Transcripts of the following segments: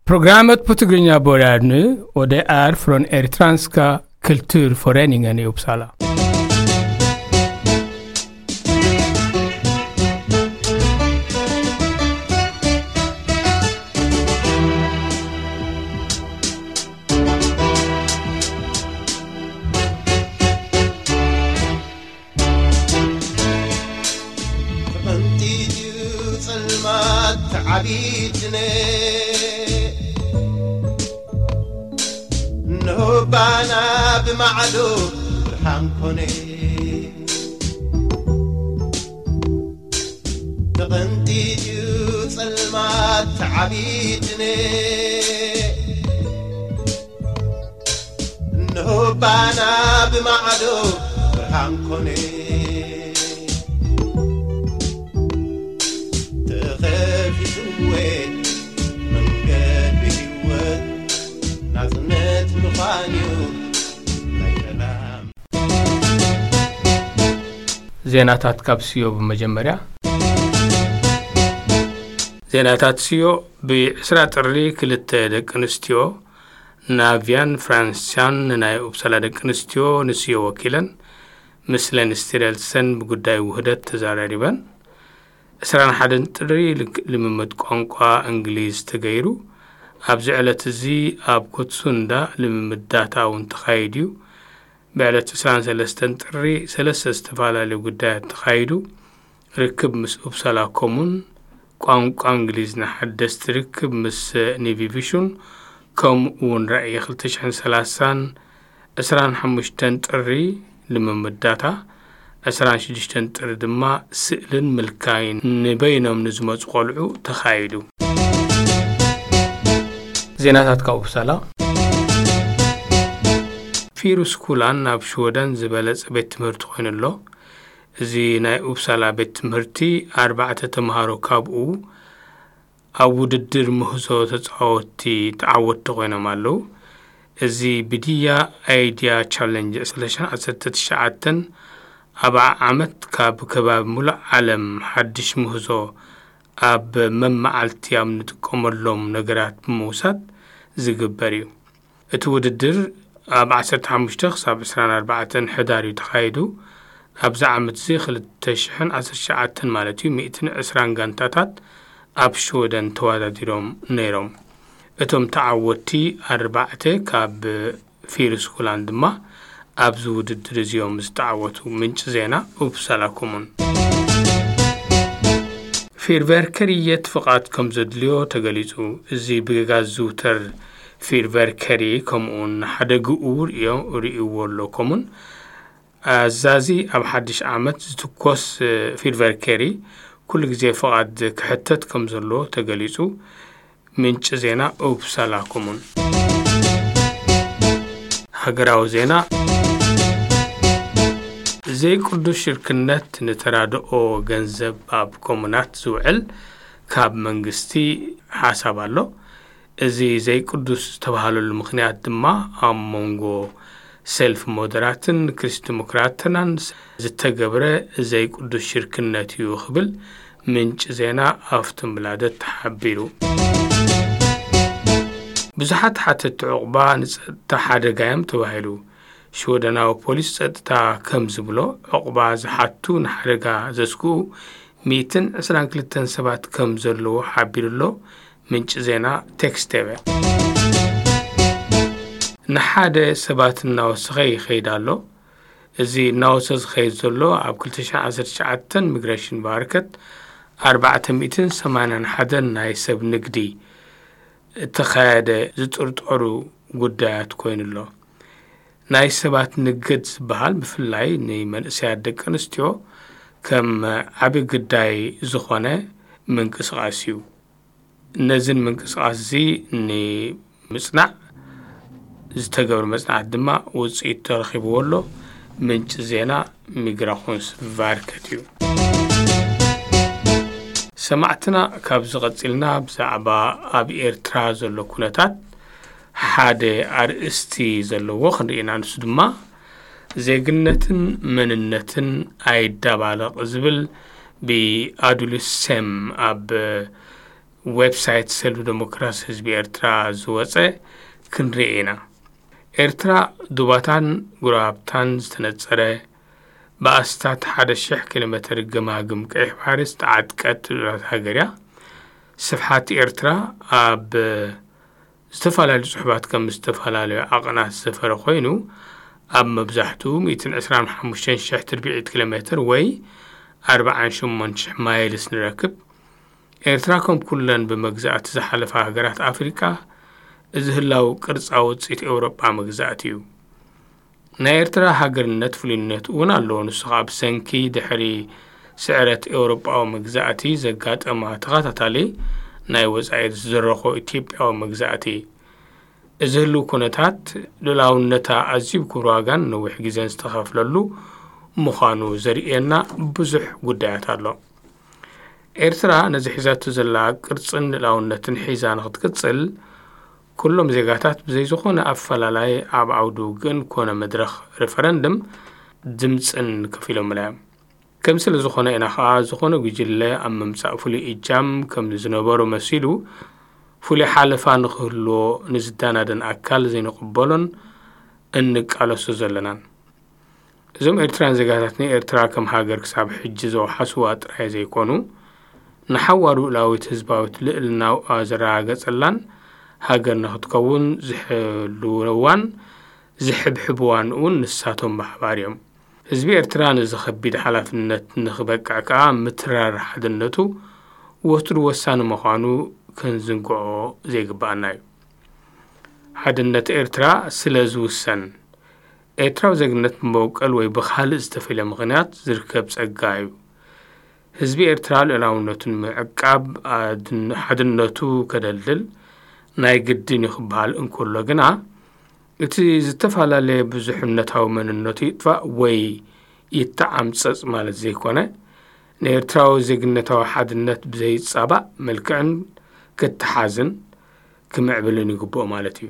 Programmet på Tigrinya börjar nu och det är från Eritreanska kulturföreningen i Uppsala. ተቐንጢጥዩ ጸልማት ተዓቢትነ እንሆ ባና ብማዕዶ ብርሃን ኮነ። ተቐንጢጥዩ ጸልማት ተዓቢትነ እንሆ ባና ብማዕዶ ብርሃን ኮነ። ተኸፊትወ መንገዲ ህይወት ናጽነት ምዃንዩ ናይ ሰላም ዜናታት ካብ ስዮ ብመጀመርያ። ዜናታት ስዮ። ብዕስራ ጥሪ ክልተ ደቂ ኣንስትዮ ናቪያን ፍራንሲያን ንናይ ኡፕሳላ ደቂ ኣንስትዮ ንስዮ ወኪለን ምስ ሌን ስቲረልሰን ብጉዳይ ውህደት ተዘራሪበን። ዕስራን ሓደን ጥሪ ልክ-፣ ልምምድ ቋንቋ እንግሊዝ ተገይሩ። ኣብዚ ዕለት እዚ ኣብ ኮትሱንዳ ልምምድ ዳታ እውን ተኻይዱ እዩ። ብዕለት ዕስራን ሰለስተን ጥሪ ሰለስተ ዝተፈላለዩ ጉዳያት ተኻይዱ። ርክብ ምስ ኡፕሳላ ኮሙን፣ ቋንቋ እንግሊዝ ንሓደስቲ ርክብ ምስ ኒቪ ቪሹን፣ ከምኡ እውን ራእይ ክልተ ሽሕን ሰላሳን፣ ዕስራን ሓሙሽተን ጥሪ ልምምድ ዳታ፣ ዕስራን ሽዱሽተን ጥሪ ድማ ስእልን ምልካይን ንበይኖም ንዝመጹ ቆልዑ ተኻይዱ። ዜናታት ካብ ኡፕሳላ። ፊሩስኩላን ኣብ ሽወደን ዝበለጸ ቤት ትምህርቲ ኮይኑ ኣሎ። እዚ ናይ ኡፕሳላ ቤት ትምህርቲ ኣርባዕተ ተምሃሮ ካብኡ ኣብ ውድድር ምህዞ ተጻወትቲ ተዓወትቲ ኮይኖም ኣለዉ። እዚ ብድያ ኣይድያ ቻለንጅ ዕስራ ዓሰርተ ትሽዓተ ኣብ ዓመት ካብ ከባቢ ሙሉእ ዓለም ሓድሽ ምህዞ ኣብ መመዓልቲ ኣብ ንጥቀመሎም ነገራት ብምውሳድ ዝግበር እዩ። እቲ ውድድር ኣብ ዓሰርተ ሓሙሽተ ክሳብ ዕስራን ኣርባዕተን ሕዳር እዩ ተኻይዱ። ኣብዚ ዓመት እዚ ክልተ ሽሕን ዓሰርተ ትሽዓተን ማለት እዩ፣ ሚእትን ዕስራን ጋንታታት ኣብ ሽወደን ተወዳዲሮም ነይሮም። እቶም ተዓወትቲ ኣርባዕተ ካብ ፊሩስኩላን ድማ ኣብዚ ውድድር እዚኦም ዝተዓወቱ። ምንጪ ዜና ኡፕሳላ ኮሙን። ፊርቨርከርየት ፍቓድ ከም ዘድልዮ ተገሊጹ። እዚ ብጌጋ ዝዝውተር ፊርቨርከሪ ከምኡውን ሓደግኡ ርእዮ-፣ ርእይዎ ኣሎ ኮሙን። ኣዛዚ ኣብ ሓድሽ ዓመት ዝትኮስ፣ እ፣ ፊርቨርከሪ ኩሉ ግዜ ፍቓድ ክሕተት ከም ዘሎ ተገሊጹ። ምንጪ ዜና ኡፕሳላ ኮሙን። ሃገራዊ ዜና። ዘይቅዱስ ሽርክነት ንተራድኦ ገንዘብ ኣብ ኮሙናት ዝውዕል ካብ መንግስቲ ሓሳብ ኣሎ። እዚ ዘይቅዱስ ዝተባህለሉ ምኽንያት ድማ ኣብ መንጎ ሰልፍ ሞደራትን ክሪስት ዲሞክራትናን ዝተገብረ ዘይቅዱስ ሽርክነት እዩ ክብል ምንጪ ዜና ኣፍቶንብላደት ሓቢሩ። ብዙሓት ሓተትቲ ዕቑባ ንጸጥታ ሓደጋ እዮም ተባሂሉ። ሽወደናዊ ፖሊስ ጸጥታ ከም ዝብሎ፣ ዕቑባ ዝሓቱ ንሓደጋ ዘስግኡ ሚእትን ዕስራን ክልተን ሰባት ከም ዘለዉ ሓቢሩ ኣሎ። ምንጪ ዜና ቴክስት ቴቨ። ንሓደ ሰባት እናወሰኸ ይኸይድ ኣሎ። እዚ እናወሰ ዝኸይድ ዘሎ ኣብ ክልተ ሽሕን ዓሰርተ ትሽዓተን ሚግሬሽን ቫርከት ኣርባዕተ ሚእትን ሰማንያን ሓደን ናይ ሰብ ንግዲ እተኻየደ ዝጥርጠሩ ጉዳያት ኮይኑ ኣሎ። ናይ ሰባት ንግድ ዝበሃል ብፍላይ ንመንእሰያት ደቂ ኣንስትዮ ከም ዓቢ ግዳይ ዝኾነ ምንቅስቓስ እዩ። ነዝን ምንቅስቓስ እዚ ንምጽናዕ ዝተገብረ መጽናዕት ድማ ውጽኢት ተረኺብዎ ኣሎ። ምንጪ ዜና ሚግራኹንስ ቫርከት እዩ። ሰማዕትና፣ ካብዚ ቀጺልና ብዛዕባ ኣብ ኤርትራ ዘሎ ኩነታት ሓደ ኣርእስቲ ዘለዎ ክንርኢ ኢና። ንሱ ድማ ዜግነትን መንነትን ኣይዳባለቕ ዝብል ብኣዱልስ ሴም ኣብ ዌብሳይት ሰልፊ ዴሞክራሲ ህዝቢ ኤርትራ ዝወጸ ክንርኢ ኢና። ኤርትራ ዱባታን ጉራብታን ዝተነጸረ፣ ብኣስታት ሓደ ሽሕ ኪሎ ሜትር ገማግም ቀይሕ ባሕሪ ዝተዓጥቀት ልኡላዊት ሃገር እያ። ስፍሓት ኤርትራ ኣብ ዝተፈላለዩ ጽሑፋት ከም ዝተፈላለዩ ዓቐናት ዝሰፈረ ኮይኑ፣ ኣብ መብዛሕትኡ ሚእትን ዕስራን ሓሙሽተን ሽሕ ትርብዒት ኪሎ ሜትር ወይ ኣርባዓን ሸሞንተ ሽሕ ማይልስ ንረክብ። ኤርትራ ከም ኩለን ብመግዛእቲ ዝሓለፋ ሃገራት ኣፍሪቃ፣ እዚ ህላው ቅርጻ ውጽኢት ኤውሮጳ መግዛእቲ እዩ። ናይ ኤርትራ ሃገርነት ፍሉይነት እውን ኣለዎ። ንሱ ኸኣ ብሰንኪ ድሕሪ ስዕረት ኤውሮጳዊ መግዛእቲ ዘጋጠማ ተኸታታሊ ናይ ወጻኢ ዝደረኾ ኢትዮጵያዊ መግዛእቲ። እዚ ህልው ኩነታት ልኡላውነታ ኣዝዩ ብክቡር ዋጋን ነዊሕ ግዜን ዝተኸፍለሉ ምዃኑ ዘርእየና ብዙሕ ጉዳያት ኣሎ። ኤርትራ ነዚ ሒዛቶ ዘላ ቅርጽን ልኡላውነትን ሒዛ ንኽትቅጽል፣ ኩሎም ዜጋታት ብዘይ ዝኾነ ኣፈላላይ ኣብ ዓውዲ ውግእን ኮነ መድረኽ ሪፈረንድም ድምጽን ከፊሎምላ እዮም። ከም ስለ ዝኾነ ኢና ኸኣ፣ ዝኾነ ጉጅለ ኣብ ምምጻእ ፍሉይ እጃም ከም ዝነበሮ መሲሉ፣ ፍሉይ ሓለፋ ንኽህልዎ ንዝዳናደን ኣካል ዘይንቕበሎን እንቃለሶ ዘለናን። እዞም ኤርትራውያን ዜጋታት ንኤርትራ ከም ሃገር ክሳብ ሕጂ ዘውሓስዋ ጥራይ ዘይኮኑ፣ ንሓዋሩ ልኡላዊት ህዝባዊት ልዕልናኣ ዘረጋገጸላን ሃገር ንኽትከውን ዝሕልውዋን ዝሕብሕብዋን እውን ንሳቶም ብሓባር እዮም። ህዝቢ ኤርትራ ነዚ ከቢድ ሓላፍነት ንኽበቅዕ ከኣ ምትራር ሓድነቱ ወትሩ ወሳኒ ምዃኑ ክንዝንግዖ ዘይግብኣና እዩ። ሓድነት ኤርትራ ስለ ዝውሰን፣ ኤርትራዊ ዜግነት ብመበቆል ወይ ብኻልእ ዝተፈልየ ምኽንያት ዝርከብ ጸጋ እዩ። ህዝቢ ኤርትራ ልኡላውነቱ ንምዕቃብ ኣድን-፣ ሓድነቱ ከደልድል ናይ ግድን እዩ ክበሃል እንከሎ ግና፣ እቲ ዝተፈላለየ ብዙሕነታዊ መንነቱ ይጥፋእ ወይ ይተዓምጸጽ ማለት ዘይኮነ፣ ንኤርትራዊ ዜግነታዊ ሓድነት ብዘይጻባእ መልክዕን ክተሓዝን ክምዕብልን ይግብኦ ማለት እዩ።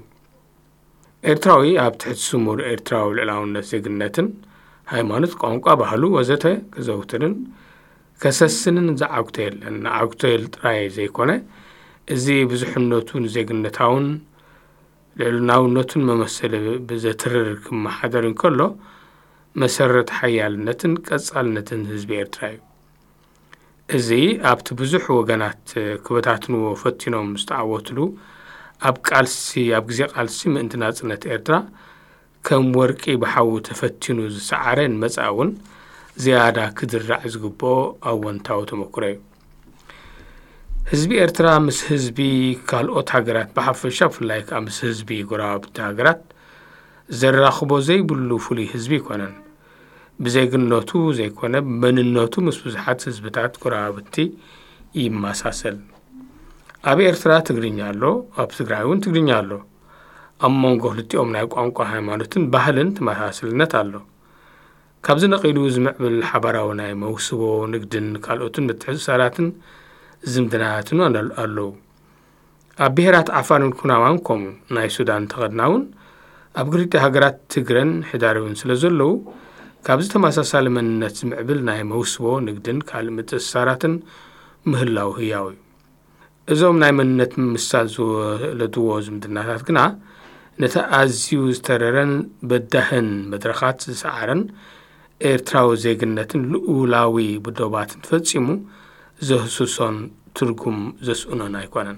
ኤርትራዊ ኣብ ትሕቲ ስሙር ኤርትራዊ ልዕላውነት ዜግነትን ሃይማኖት፣ ቋንቋ፣ ባህሉ ወዘተ ከዘውትርን ከሰስንን ዝዓግቶ የለን። ንዓግቶ የል ጥራይ ዘይኮነ፣ እዚ ብዙሕነቱ ንዜግነታውን ልዕልናውነቱን መመሰሊ ብዘትርር ክመሓደር እንከሎ፣ መሰረት ሓያልነትን ቀጻልነትን ህዝቢ ኤርትራ እዩ። እዚ ኣብቲ ብዙሕ ወገናት ክበታትንዎ ፈቲኖም ዝተዓወትሉ፣ ኣብ ቃልሲ፣ ኣብ ግዜ ቃልሲ ምእንቲ ናጽነት ኤርትራ ከም ወርቂ ብሓዊ ተፈቲኑ ዝሰዓረ ንመጻኢ እውን ዝያዳ ክድራዕ ዝግብኦ ኣወንታዊ ተመክሮ እዩ። ህዝቢ ኤርትራ ምስ ህዝቢ ካልኦት ሃገራት ብሓፈሻ፣ ብፍላይ ከኣ ምስ ህዝቢ ጎረባብቲ ሃገራት ዘራኽቦ ዘይብሉ ፍሉይ ህዝቢ ኣይኮነን። ብዜግነቱ ዘይኮነ፣ ብመንነቱ ምስ ብዙሓት ህዝብታት ጎረባብቲ ይመሳሰል። ኣብ ኤርትራ ትግርኛ ኣሎ፣ ኣብ ትግራይ እውን ትግርኛ ኣሎ። ኣብ መንጎ ክልቲኦም ናይ ቋንቋ፣ ሃይማኖትን ባህልን ተመሳሳልነት ኣሎ። ካብዚ ነቒሉ ዝምዕብል ሓባራዊ ናይ መውስቦ፣ ንግድን ካልኦትን ምትሕስሳራትን ዝምድናታትን ኣለ-፣ ኣለዉ። ኣብ ብሄራት ዓፋርን ኩናማን ከምኡ፣ ናይ ሱዳን ተኸድና እውን ኣብ ክልቲኡ ሃገራት ትግረን ሕዳርብን ስለ ዘለዉ፣ ካብዚ ተመሳሳሊ መንነት ዝምዕብል ናይ መውስቦ፣ ንግድን ካልእ ምትእስሳራትን ምህላው ህያው እዩ። እዞም ናይ መንነት ምምስሳል ዝወለድዎ ዝምድናታት ግና፣ ነቲ ኣዝዩ ዝተረረን በዳህን መድረኻት ዝሰዓረን ኤርትራዊ ዜግነትን ልኡላዊ ብዶባትን ፈጺሙ ዘህስሶን ትርጉም ዘስእኖን ኣይኮነን።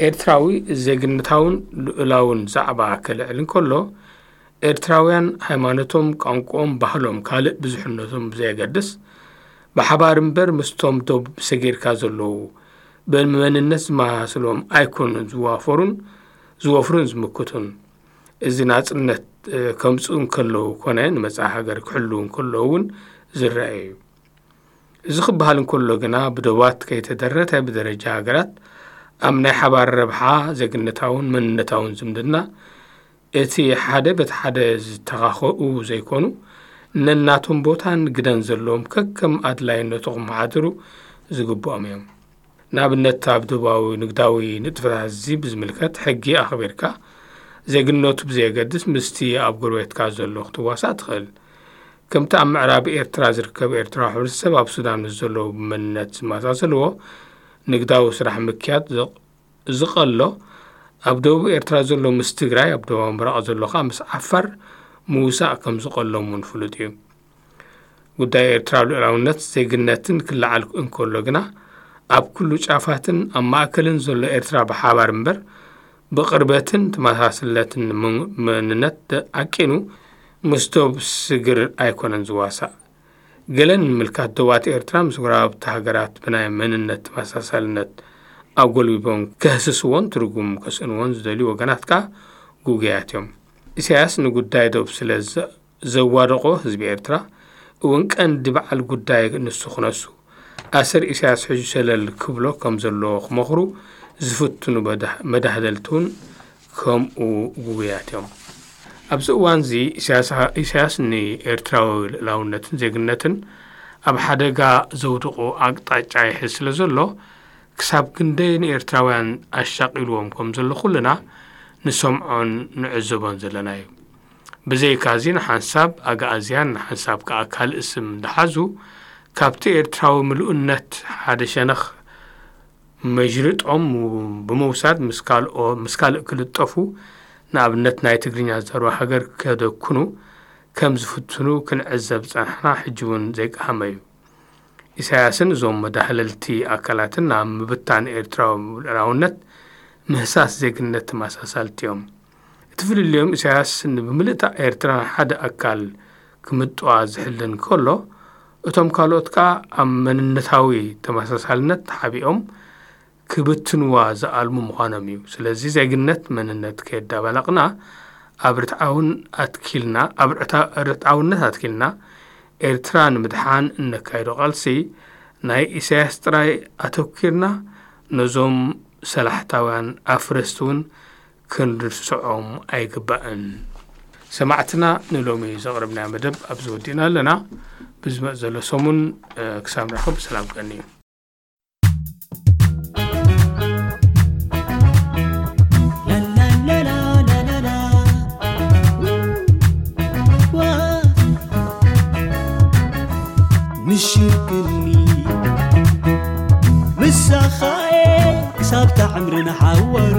ኤርትራዊ ዜግነታውን ልኡላውን ዛዕባ ከልዕል እንከሎ፣ ኤርትራውያን ሃይማኖቶም፣ ቋንቋኦም፣ ባህሎም፣ ካልእ ብዙሕነቶም ብዘየገድስ፣ ብሓባር እምበር ምስቶም ዶብ ሰጊርካ ዘለዉ ብመንነት ዝመሳሰሎም ኣይኮኑን ዝዋፈሩን ዝወፍሩን ዝምክቱን። እዚ ናጽነት፣ እ፣ ከምጽኡ እንከለዉ ኮነ ንመጻኢ ሃገር ክሕልዉ እንከለዉ እውን ዝረአ እዩ። እዚ ክበሃል እንከሎ ግና ብዶባት ከይተደረተ ብደረጃ ሃገራት ኣብ ናይ ሓባር ረብሓ ዜግነታውን መንነታውን ዝምድና እቲ ሓደ በቲ ሓደ ዝተኻኸኡ ዘይኮኑ ነናቶም ቦታን ግደን ዘለዎም ከከም ኣድላይነቱ ክመሓድሩ ዝግብኦም እዮም። ንኣብነት ኣብ ዶባዊ ንግዳዊ ንጥፈታት እዚ ብዝምልከት ሕጊ ኣኽቢርካ ዜግነቱ ብዘየገድስ ምስቲ ኣብ ጎረቤትካ ዘሎ ክትዋሳእ ትኽእል። ከምቲ ኣብ ምዕራብ ኤርትራ ዝርከብ ኤርትራዊ ሕብረተሰብ ኣብ ሱዳን ምስ ዘለዉ ብመንነት ዝመሳሰልዎ ንግዳዊ ስራሕ ምክያድ ዝቐሎ ኣብ ደቡብ ኤርትራ ዘሎ ምስ ትግራይ፣ ኣብ ደቡብ ምብራቕ ዘሎ ከኣ ምስ ዓፋር ምውሳእ ከም ዝቐሎም እውን ፍሉጥ እዩ። ጉዳይ ኤርትራዊ ልኡላውነት ዜግነትን ክለዓል እንከሎ ግና ኣብ ኩሉ ጫፋትን ኣብ ማእከልን ዘሎ ኤርትራ ብሓባር እምበር ብቕርበትን ተመሳስለትን መንነት ዓቂኑ ምስ ዶብ ስግር ኣይኮነን ዝዋሳእ። ገለን ምልካት ዶባት ኤርትራ ምስ ጎረባብቲ ሃገራት ብናይ መንነት ተመሳሳልነት ኣጎልቢቦም ከህስስዎን ትርጉም ከስእንዎን ዝደልዩ ወገናት ከኣ ጉጉያት እዮም። ኢሳያስ ንጉዳይ ዶብ ስለ ዘዋደቖ ህዝቢ ኤርትራ እውን ቀንዲ በዓል ጉዳይ ንሱ ክነሱ ኣሰር ኢሳያስ ሕጂ ሸለል ክብሎ ከም ዘለዎ ክመኽሩ ዝፍትኑ መዳህደልቲ እውን ከምኡ ጉጉያት እዮም። ኣብዚ እዋንዚ ኢሳያስ ንኤርትራዊ ልእላውነትን ዜግነትን ኣብ ሓደጋ ዘውድቑ ኣቅጣጫ ይሕዝ ስለ ዘሎ ክሳብ ክንደይ ንኤርትራውያን ኣሻቒልዎም ከም ዘሎ ኩልና ንሰምዖን ንዕዘቦን ዘለና እዩ። ብዘይካዚ ንሓንሳብ ኣግኣዝያን ንሓንሳብ ከኣ ካልእ ስም እንዳሓዙ ካብቲ ኤርትራዊ ምሉእነት ሓደ ሸነኽ መጅርጦም ብምውሳድ ምስ ካልኦ ምስ ካልእ ክልጠፉ ንኣብነት ናይ ትግርኛ ዝዛረቡ ሃገር ከደኩኑ ከም ዝፍትኑ ክንዕዘብ ዝጸናሕና ሕጂ እውን ዘይቀሃመ እዩ። ኢሳያስን እዞም መዳህለልቲ ኣካላትን ናብ ምብታን ኤርትራዊ ልኡላውነት ምህሳስ ዜግነት ተመሳሳልቲ እዮም። እቲ ፍልልዮም ኢሳያስ ንብምልእታ ኤርትራ ሓደ ኣካል ክምጥዋ ዝሕልን ከሎ እቶም ካልኦት ከኣ ኣብ መንነታዊ ተመሳሳልነት ተሓቢኦም ክብትንዋ ዝኣልሙ ምዃኖም እዩ። ስለዚ ዜግነት መንነት ከየዳባላቕና ኣብ ርትዓውን ኣትኪልና ኣብ ርትዓውነት ኣትኪልና ኤርትራ ንምድሓን እነካይዶ ቃልሲ ናይ ኢሳያስ ጥራይ ኣተኪርና ነዞም ሰላሕታውያን ኣፍረስቲ እውን ክንርስዖም ኣይግባእን። ሰማዕትና ንሎሚ ዘቕረብናዮ መደብ ኣብዚ ወዲእና ኣለና። ብዝመጽእ ዘሎ ሰሙን ክሳብ ንራኸብ ብሰላም ቀንዩ። ምሽርክኒ ምሳኻኤ ክሳብ ታዕምርን ሓዋሩ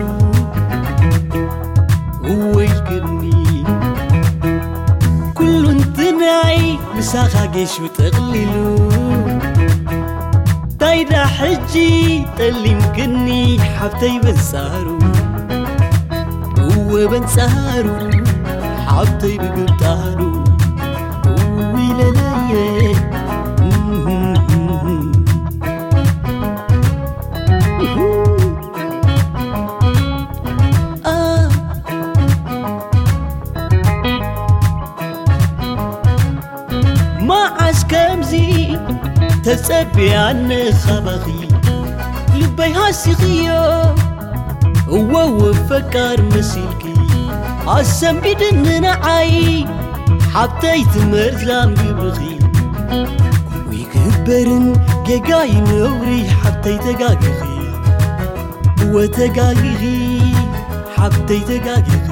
እወይልክኒ ኩሉ እንትናይ ምሳኻ ጌሹ ጠቕሊሉ ታይዳ ሕጂ ጠሊምክኒ ሓብተይ በንጻሩ እወ በንጻሩ ሓብተይ ብግብጣሩ እውይ ለለየ መዓስ ከምዚ ተጸቢያ ንኻባኺ ልበይ ሃሲኽዮ እወወ ፈቃር መሲልኪ ኣሰንቢድኒ ንዓይ ሓብተይ ትመርዛም ግብርኺ ይግበርን ጌጋይ ነውሪ ሓብተይ ተጋጊኺ እወ ተጋጊኺ ሓብተይ ተጋጊኺ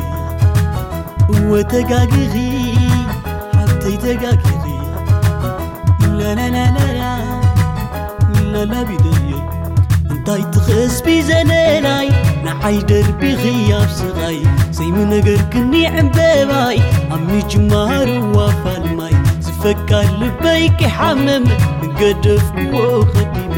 እወ ተጋጊኺ ሓብተይ ተጋጊኺ ላላላላላ ላላቢደየ እንታይ ትኸስቢ ዘለላይ ንዓይ ደርቢኺ ኣብ ስቓይ ዘይምነገርክኒ ዕምበባይ ኣብ ምጅማሩ ዋፋልማይ ዝፈቃር ልበይ ክሓመም ገደፍክዎ ኸዲመ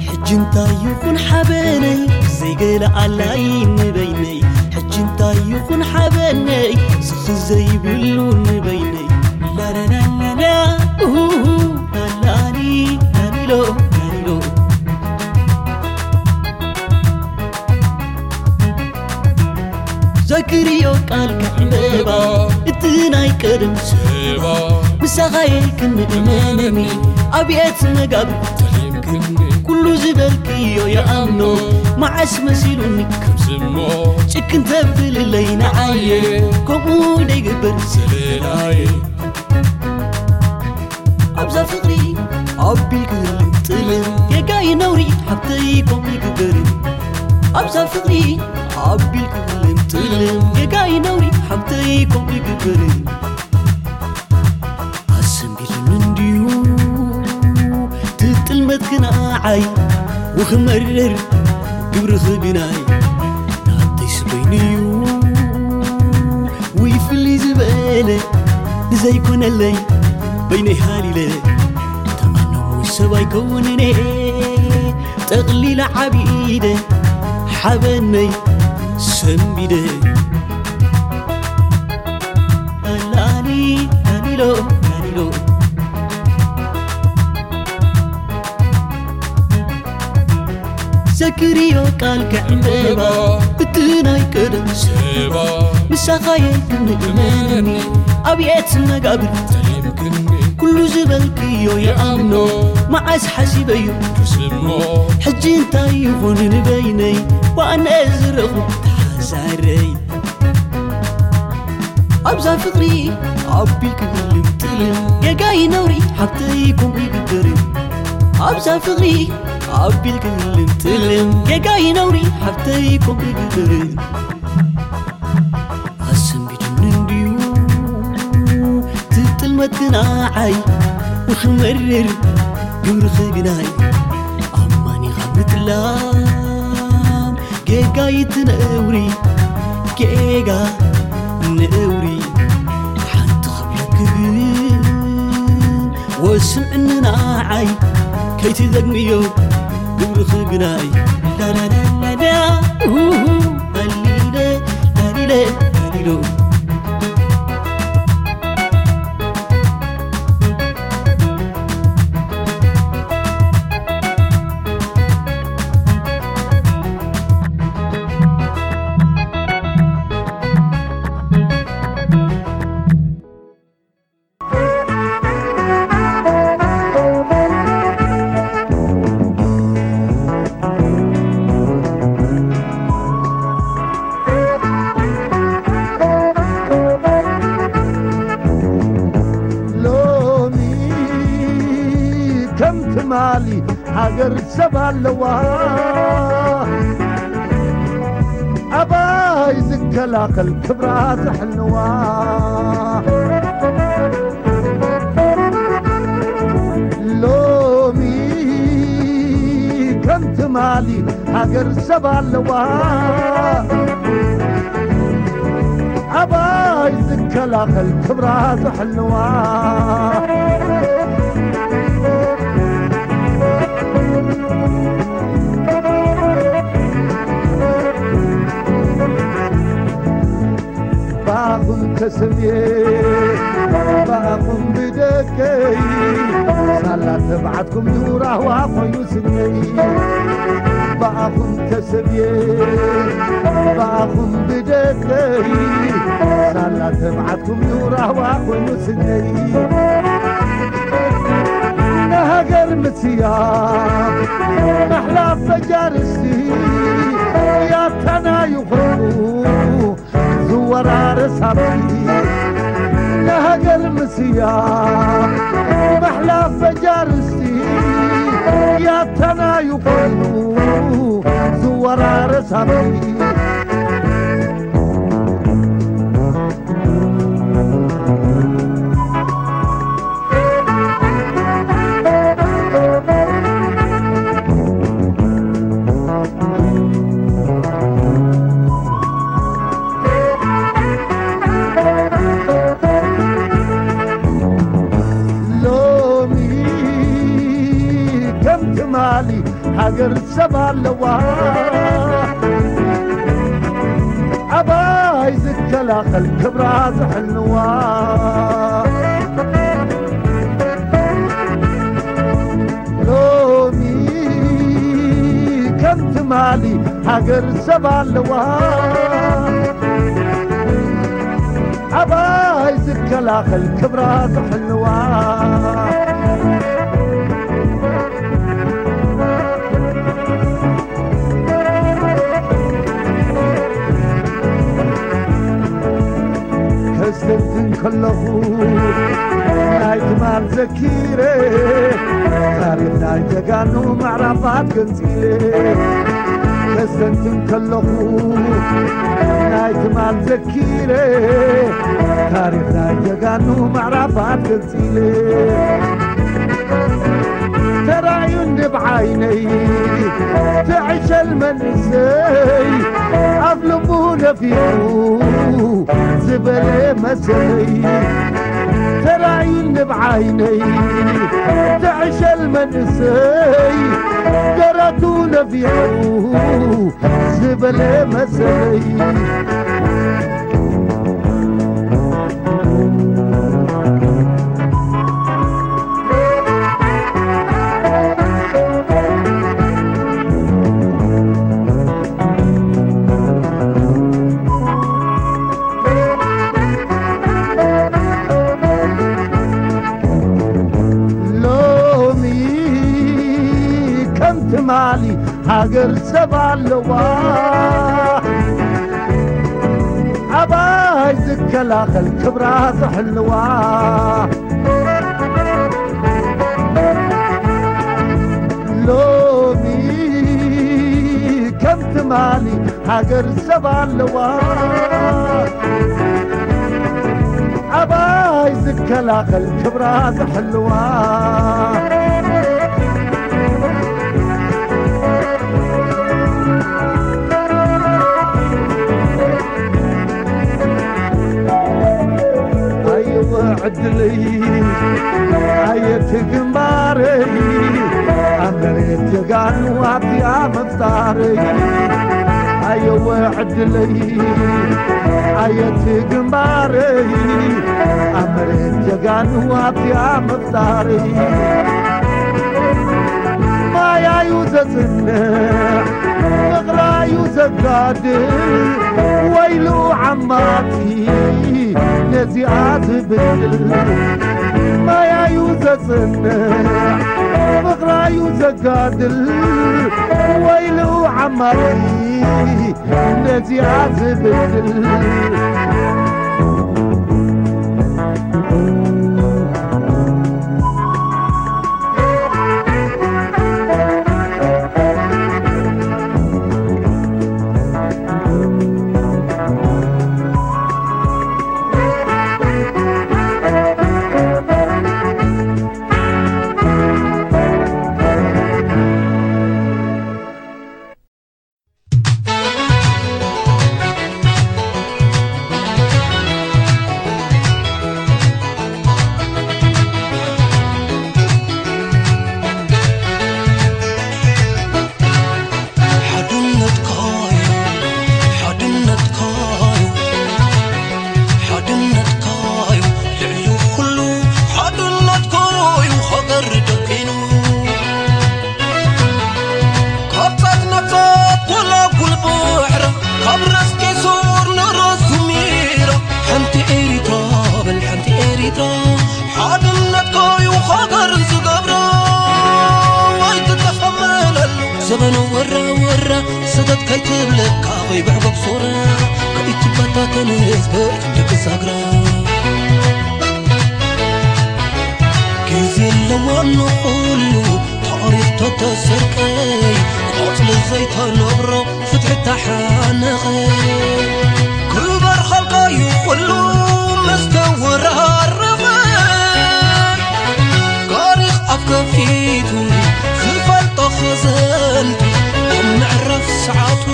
ሕጂ እንታይ ይኹን ሓበነይ ዘይገለ ኣላይ ንበይነይ ሕጂ እንታይ ይኹን ሓበነይ ስኺ ዘይብሉ ንበይነይ ላላላላላ ኡሁሁ ላላሊ ላሊሎ ላሊሎ ዘክርዮ ቃል ከዕምበባ እቲ ናይ ቀደም ሰባ ምሳኻየ ክንእመነኒ ኣብየት መጋብ ተሊምክኒ ኩሉ ዝበልክዮ የኣምኖ መዓስ መሲሉኒ ከምዝሞ ጭክን ተብልለይ ንዓየ ከምኡ ደይግበር ዘለላየ ኣብዛ ፍቕሪ ኣቢልክልም ጥልም ጌጋይ ነውሪ ሓብተይ ኮም ይግበርን ኣብዛ ፍቕሪ ኣቢልክልም ጥልም ጌጋይ ነውሪ ሓብተይ ኮም ይግበርን ኣሰንቢድን እንድዩ ትጥልመት ክነዓይ ወኽመርር ግብርኺ ግናይ ናተይ ስበይንዩ። ውይ ፍልይ ዝበለ ንዘይኮነለይ በይነይ ሃሊለ። ተኣነሙ ሰብ ኣይከውንነ ጠቕሊለ ዓቢደ ሓበነይ ሰንቢደ። ላሊ ላሊሎ ላሊሎ ዘክርዮ ቃል ከዕምበባ እቲ ናይ ቀደም ሰባ ምሳኻየ ክንእመነኒ ኣብየት መጋብር ተሊምክኒ ኩሉ ዝበልክዮ ይኣምኖ መዓስ ሓሲበዩ ክስሞ ሕጂ እንታይ ይኹን ንበይነይ ዋነ ዝረኹ ተሓዛረይ ኣብዛ ፍቕሪ ኣቢልክ ልምጥልን ጌጋይ ነውሪ ሓብተይ ከምኡ ይግበርን ኣብዛ ፍቕሪ ኣቢልክ ልምጥልን ጌጋይ ነውሪ ሓብተይ ከምኡ ይግበርን ኣሰንቢድኒ እንድዩ ትጥልመት ግናዓይ ንኽመርር ግብርኺ ግናይ ኣማኒኻ ምጥላም ጌጋ ይትነውሪ ጌጋ ነውሪ ሓንቲ ክብለክን ወስዕኒ ንዓይ ከይትደግምዮ ግብርኺ ግናይ ላላላላላ ኡሁ ላሊለ ላሊለ ላሊሎ ሎሚ ከም ትማሊ ሃገር ሰብ ኣለዋ ኣባይ ዝከላኸል ክብራ ዘሕልዋ ሎሚ ከም ትማሊ ሃገር ሰብ ኣለዋ ኣባይ ዝከላኸል ክብራ ዘሕልዋ ብኣኹም ተሰብየ ብኣኹም ብደቀይ ሳላ ተብዓትኩም ዩ ራህዋ ኮይኑ ስነይ ብኣኹም ተሰብየ ብኣኹም ብደቀይ ሳላ ተብዓትኩም ዩ ራህዋ ኮይኑ ስነይ ንሃገር ምስያ ማሕላፍ በጃርሲ ያታና ይኾኑ ዝወራረስ ሃብቲ ንሃገር ምስያ ማሕላፍ በጃርሲ ያታና ይኾኑ ዝወራረስ ሃብቲ ሎሚ ከም ትማሊ ሃገር ሰብ ኣለዋ ኣባይ ዝከላኸል ክብራ ዘሕልዋ ሎሚ ከም ትማሊ ሃገር ሰብ ኣለዋ ኣባይ ዝከላኸል ክብራ ዘሕልዋ ከስተንትን ከለኹ ናይ ትማል ዘኪረ ታሪኽ ናይ ጀጋኑ ምዕራፋት ገንፂለ ከስተንትን ከለኹ ናይ ትማል ዘኪረ ታሪኽ ናይ ጀጋኑ ምዕራፋት ገንፂለ ተራእዩኒ ብዓይነይ ትዕሸል መንእሰይ ኣብ ልቡ ነፊቑ ዝበለ መሰለይ። ተራእዩኒ ብዓይነይ ትዕሸል መንእሰይ ደረቱ ነፊቑ ዝበለ መሰለይ። ሎሚ ከም ትማሊ ሃገር ሰብ ኣለዋ። ኣባይ ዝከላኸል ክብራ ዝሕልዋ። ሎሚ ከም ትማሊ ሃገር ሰብ ኣለዋ። ኣባይ ዝከላኸል ክብራ ዝሕልዋ። ኣየወ ዕድለይ ኣየት ግንባረይ ኣብ መሬት ጀጋኑ ኣብዚኣ ምፍጣረይ። ኣየወ ዕድለይ ኣየት ግንባረይ ኣብ መሬት ጀጋኑ ኣብዚኣ ምፍጣረይ። ማያዩ ዘጽንዕ ፍቕራዩ ዘጋድል ወይሉ ዓማጺ ነዚኣ ዝብል። ማያዩ ዘጽንዕ ፍቕራዩ ዘጋድል ወይሉ ዓማጺ ነዚኣ ዝብል። ሓድነትካዩ፣ ሓድነትካዩ፣ ሓድነትካዩ ልዕሊ ኩሉ፣ ሓድነትካዩ ሃገር ደቂኑ። ካብ ጻት ናብ ጻት ጎላጉል ባሕራ፣ ካብ ራስ ቄሶር ንራስ ዙሚራ፣ ሓንቲ ኤሪትራ በል ሓንቲ ኤሪትራ፣ ሓድነትካዩ ሃገር ዝገብራ። ኣይትተኸመለሉ ዘበነ ወራ ወራ፣ ሰተት ከይትብለካ ከይብዕጎብ ሶራ፣ ከይትበታተን ህዝበይ ክንዲ ክሳግራ። ግዜ ኣለዋ ንኹሉ ታሪኽ ተተሰርቀይ፣ ቆጽሊ ዘይተነብሮ ፍትሒ ተሓነቐ። ክበርኸልካዩ ኩሉ ምስ ተወራረቐ፣ ታሪኽ ኣፍ ከፊቱ ዝፈልጦ ኸዘንቱ ኣብ ምዕራፍ ሰዓቱ።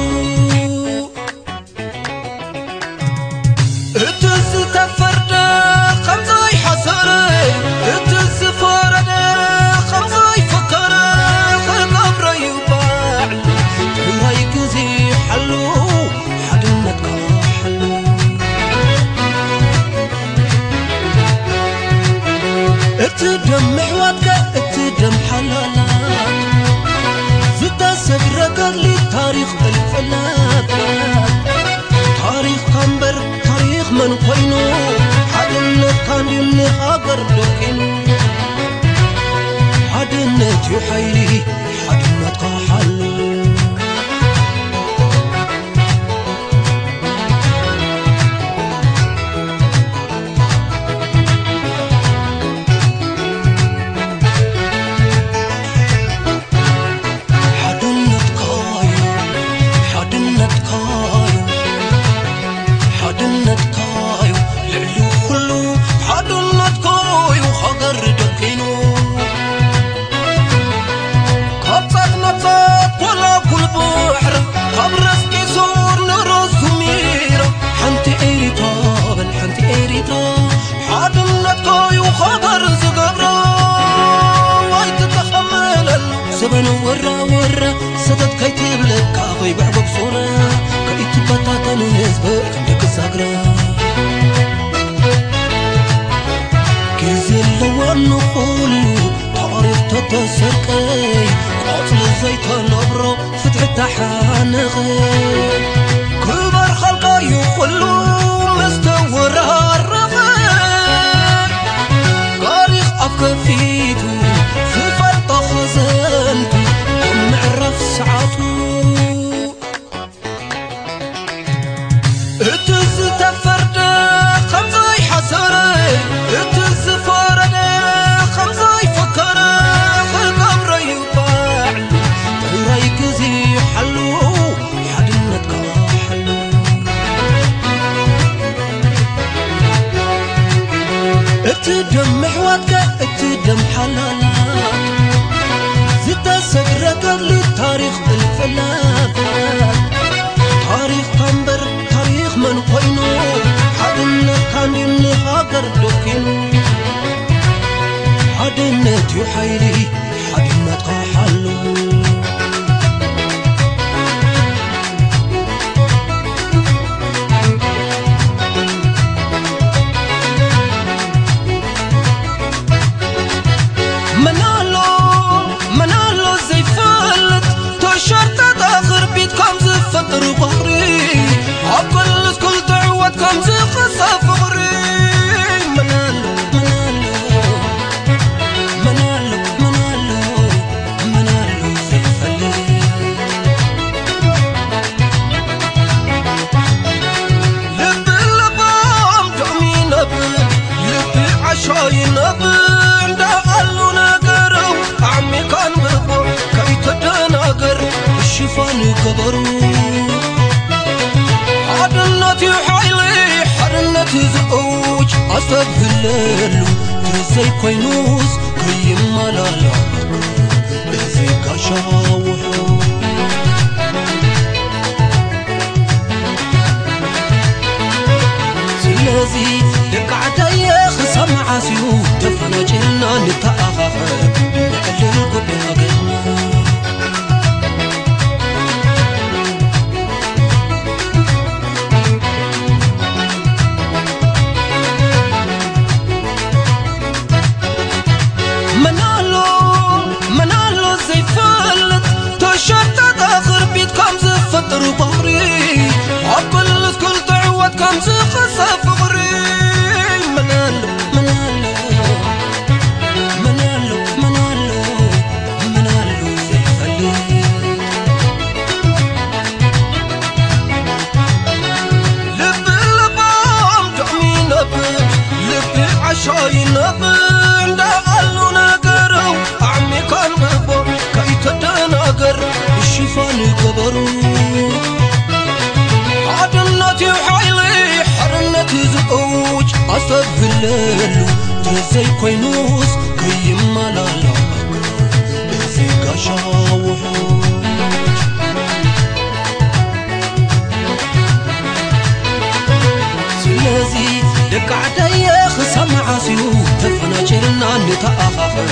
እቲ ዝተፈርደ ከም ዘይሓሰረ፣ እቲ ዝፈረደ ከም ዘይፈከረ፣ ክገብረዩ ባዕሉ ጥራይ ግዜ ሓሉ ሓድነትካ ሓነኸ ክባር ኻልቃዩ ኩሉ መስተወራረኸ ታሪኽ ኣፍ ከፊቱ ዝፈልጦ ኸዘንቱ ኣብ ምዕራፍ ሰዓቱ እቲ ዝተፈርደ ኸምዘይ ሓሰረ እቲ ዝፈረደ ኸምዘይ ፈከረ ክገብረዩ ባዕሉ ጥራይ ግዜ ሓሉ ሓድነትካ ሓሉ እቲ ደም ምሕዋትካ እቲ ደም ሓላላት ዝተሰግረ ገድሊ ታሪኽ እልፍላፋት ታሪኽ ካምበር ታሪኽ መን ኮይኑ ሓድነት ካንዲን ንሃገር ደኪኑ ሓድነት እዩ ሓይሊ ሓድነትካ ሓሉ መናሎ መናሎ ዘይፈልጥ ተሸርጠጠ ክርቢት ከም ዝፈጥር ባሕሪ ኣብ ክልስ ክልተ ዕወት ከም ዝኸሰ ፍቕሪ መናሎ መናሎ መናሎ መናሎ መናሎ ዘይፈልጥ ልቢ ለባም ዶሚ ነብ ልቢ ዓሻይ ነብ እንዳኣሉ ነገረው ዓሚካን ብቦ ከይተደናገር ሽፋን ገበሩ ሓድነት እዩ ሓይሊ ሓድነት ዝእውጅ ኣስተብህለሉ ትዘይኮይኑስ ከይመላላ እዚ ጋሻ ውሑ ስለዚ ደቂ ዓዳየ ክሳብ መዓስ እዩ ተፈናጭልና ንተኣኻኸብ ንዕልል ጉዳይ ሃገርና መናሎ መናሎ ዘይፈልጥ ተሸርጠጠ ክርቢት ከም ዝፈጥር ባሕሪ ኣብ ክልስ ክልተ ዕወት ከም ዝኸሰ ፍቕሪ መናሎ መናሎ መናሎ መናሎ መናሎ ዘይፈልጥ ልቢ ለባም ዶሚ ነብ ልቢ ዓሻይ ነብ እንዳኣሉ ነገረው ዓሚካን ብቦ ከይተደናገር ሽፋን ገበሩ ሓድነት እዩ ሓይሊ ሓርነት ዝእውጅ ኣስተብህለሉ ተዘይኮይኑስ ከይመላላ እዚ ጋሻ ውሑ ስለዚ ደቂ ዓደየ ክሳብ መዓስ እዩ ተፈናጭልና ንተኣኻኸብ